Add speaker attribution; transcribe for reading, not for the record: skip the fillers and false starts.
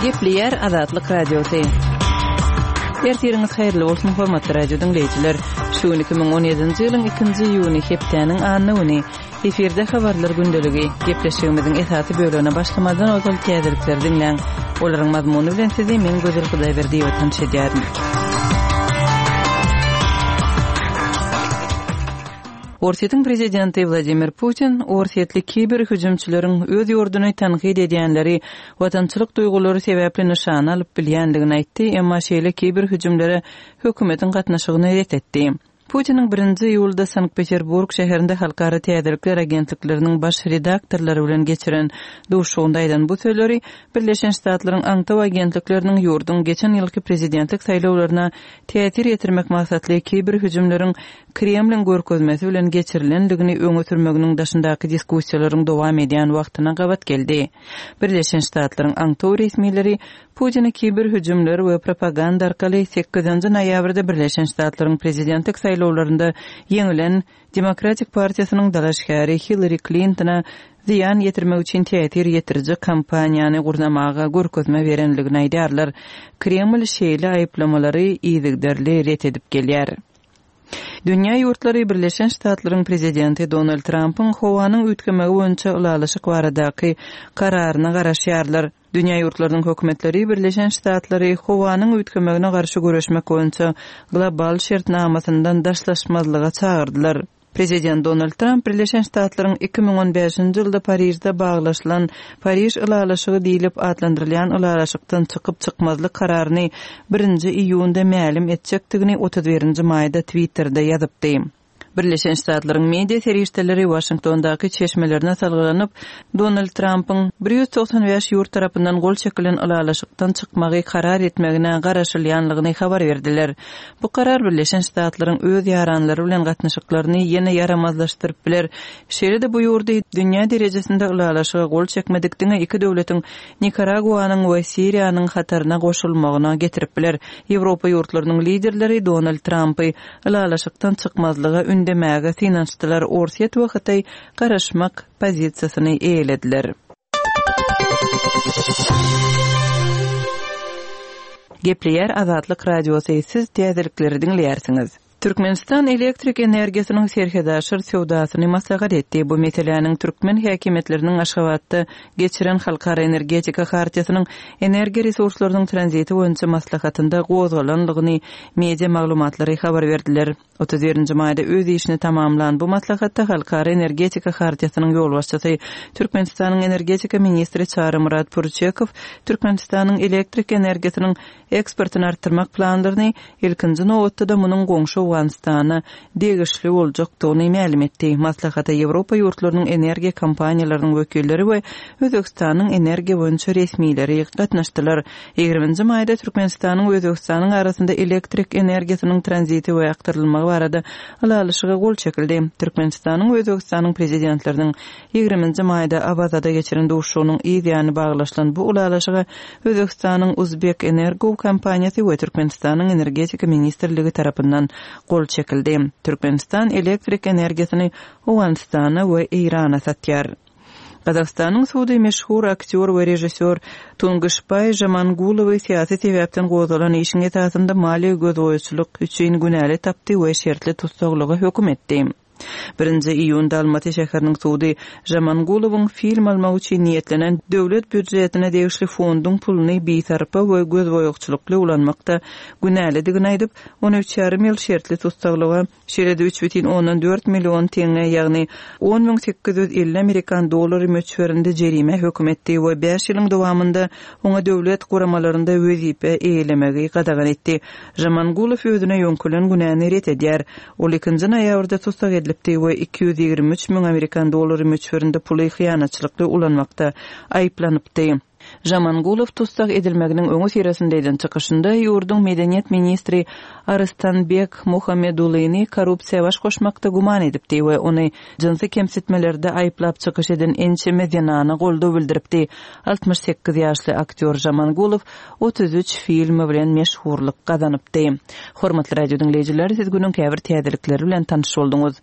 Speaker 1: Gepleýär Azatlyk Radiosy. Ertiriňiz haýyrly bolsun, hormatly radio diňleýjiler. Şu gün 2017-nji ýylyň 2-nji iýuny, hepdäniň anna güni. Efirde habarlar gündeligi. Gepleşigimiziň esasy bölegine başlamazdan ozal täzelikleri diňläň. Olaryň mazmuny bilen sizi men Gözel Hudaýberdiýewa tanyş edýärin. Orsýetiň prezidenti Wladimir Putin orsýetli kiber hüjümçileriň öz ýurduny tankyt edýänleri watançylyk duýgulary sebäpli nyşana alyp bilýändigini aýtdy, emma şeýle kiber hüjümlere hökümetiň gatnaşygyny ret etdi. Putiniň birinji iýulda Sankt-Peterburg şäherinde halkara täzelikler agentlikleriniň baş redaktorlary bilen geçiren duşuşygynda aýdan bu sözleri Birleşen Ştatlaryň aňtaw agentlikleriniň ýurduň geçen ýylky prezidentlik saýlawlaryna täsir ýetirmek maksatly kiber hüjümleriň Kremliň görkezmesi bilen geçirilendigini öňe sürmeginiň daşyndaky diskussiýalaryň dowam edýän wagtyna gabat geldi. Birleşen Ştatlaryň aňtaw resmileri Putini kiber hüjümler we propaganda arkaly sekizinji noýabrda Birleşen Ştatlaryň prezidentlik saýlawlarynda ýeňilen Demokratik partiýasynyň dalaşgäri Hillari Klintona zyýan ýetirmek üçin täsir ýetiriji kampaniýany gurnamaga görkezme berenligini aýdýarlar. Kreml şeýle aýyplamalary yzygiderli ret edip gelýär. Dünýä ýurtlary Birleşen Ştatlaryň Prezidenti Donald Trampyň howanyň üýtgemegi boýunça ylalaşyk baradaky kararyna garaşýarlar. Dünýä ýurtlarynyň hökümetleri Birleşen Ştatlary howanyň üýtgemegine garşy göreşmek boýunça global şertnamasyndan daşlaşmazlyga çagyrdylar. Prezident Donald Tramp Birleşen Ştatlaryň 2015-nji ýylda Parižde baglaşylan Pariž ylalaşygy diýlip atlandyrylýan ylalaşykdan çykyp-çykmazlyk kararyny birinji iýunda mälim etjekdigini 31-nji maýda Twitterde ýazypdy. Birleşen Ştatlaryň media serişdeleri Waşingtondaky çeşmelerine salgylanyp, Donald Trampyň 195 ýurt tarapyndan gol çekilen ylalaşykdan çykmagy karar etmegine garaşylýanlygyny habar berdiler. Bu karar Birleşen Ştatlaryň öz ýaranlary bilen gatnaşyklaryny ýene ýaramazlaşdyryp biler. Şeýle-de bu ýurdy dünýä derejesinde ylalaşyga gol çekmedik diňe iki döwletiň Nikaraguanyň we Siriýanyň hataryna goşulmagyna getirip biler. Ýewropa ýurtlarynyň liderleri Donald Trampy ylalaşykdan çykmazlyga ündemäge synanyşdylar, Orsýet we Hytaý garaşmak pozisiýasyny eýelediler. Gepleýär Azatlyk Radiosy, siz täzelikleri diňleýärsiňiz. Türkmenistan elektrik energiýasynyň serhetaşyr söwdasyny maslahat etdi. Bu meseläniň türkmen häkimiýetleriniň Aşgabatda geçiren Halkara energetika hartiýasynyň energiýa resurslarynyň tranziti boýunça maslahatynda gozgalanlygyny media maglumatlary habar berdiler. 31-nji maýda öz işini tamamlan bu maslahatda Halkara energetika hartiýasynyň ýolbaşçysy, Türkmenistanyň energetika ministri Çarymyrat Pürçekow Türkmenistanyň elektrik energiýasynyň eksportyny artdyrmak planlaryny, ilkinji nobatda-da munuň goňşy Owganystana degişli boljakdygyny mälim etdi. Maslahata Ýewropa ýurtlarynyň energiýa kompaniýalarynyň wekilleri we Özbegistanyň energiýa boýunça resmileri gatnaşdylar. Ýigriminji maýda Türkmenistanyň we Özbegistanyň arasynda elektrik energiýasynyň tranziti we akdyrylmagy barada ylalaşyga gol çekildi. Türkmenistanyň we Özbegistanyň Prezidentleriniň Ýigriminji maýda Awazada geçiren duşuşygynyň yz ýany baglaşylan bu ylalaşyga Özbegistanyň Uzbekenergo kompaniýasy we Türkmenistanyň Energetika ministrligi tarapyndan gol çekildi. Türkmenistan elektrik energiýasyny Owganystana we Eýrana satýar. Gazagystanyň sudy meşhur aktýor we režissýor Tungyşbaý Žamangulowy syýasy sebäpden gozgalan işiň esasynda maliýe gözboýaçylyk üçin günäli tapdy we şertli tussaglyga höküm etdi. Birinji iýunda Almaty şäheriniň sudy Žamangulowyň film almak üçin niýetlenen döwlet býujetine degişli fonduň puluny bisarpa we gözboýagçylykly ulanmakda günälidigini aýdyp, ony üç ýarym ýyl şertli tussaglyga, şeýle-de 3,4 million teňňe, ýagny 10 850 amerikan dollary möçberinde jerimä höküm etdi we bäş ýylyň dowamynda oňa döwlet guramalarynda wezipe eýelemegi gadagan etdi. Žamangulow özüne ýöňkelen günäni ret edýär. Ol ikinji noýabrda tussag edilipdi we 223 müň amerikan dollary möçberinde puly hyýanatçylykly ulanmakda aýyplanypdy. Žamangulow tussag edilmeginiň öňüsyrasynda eden çykyşynda ýurduň medeniýet ministri Arystanbek Muhamedulyny korrupsiýa baş goşmakda güman edipdi we ony jynsy kemsitmelerde aýyplap çykyş eden ençeme zenana goldaw bildiripdi. 68 ýaşly aktýor Žamangulow 33 filmi bilen meşhurlyk gazanypdy. Hormatly radio diňleýjiler, siz günüň käbir täzelikleri bilen tanyş bolduňyz.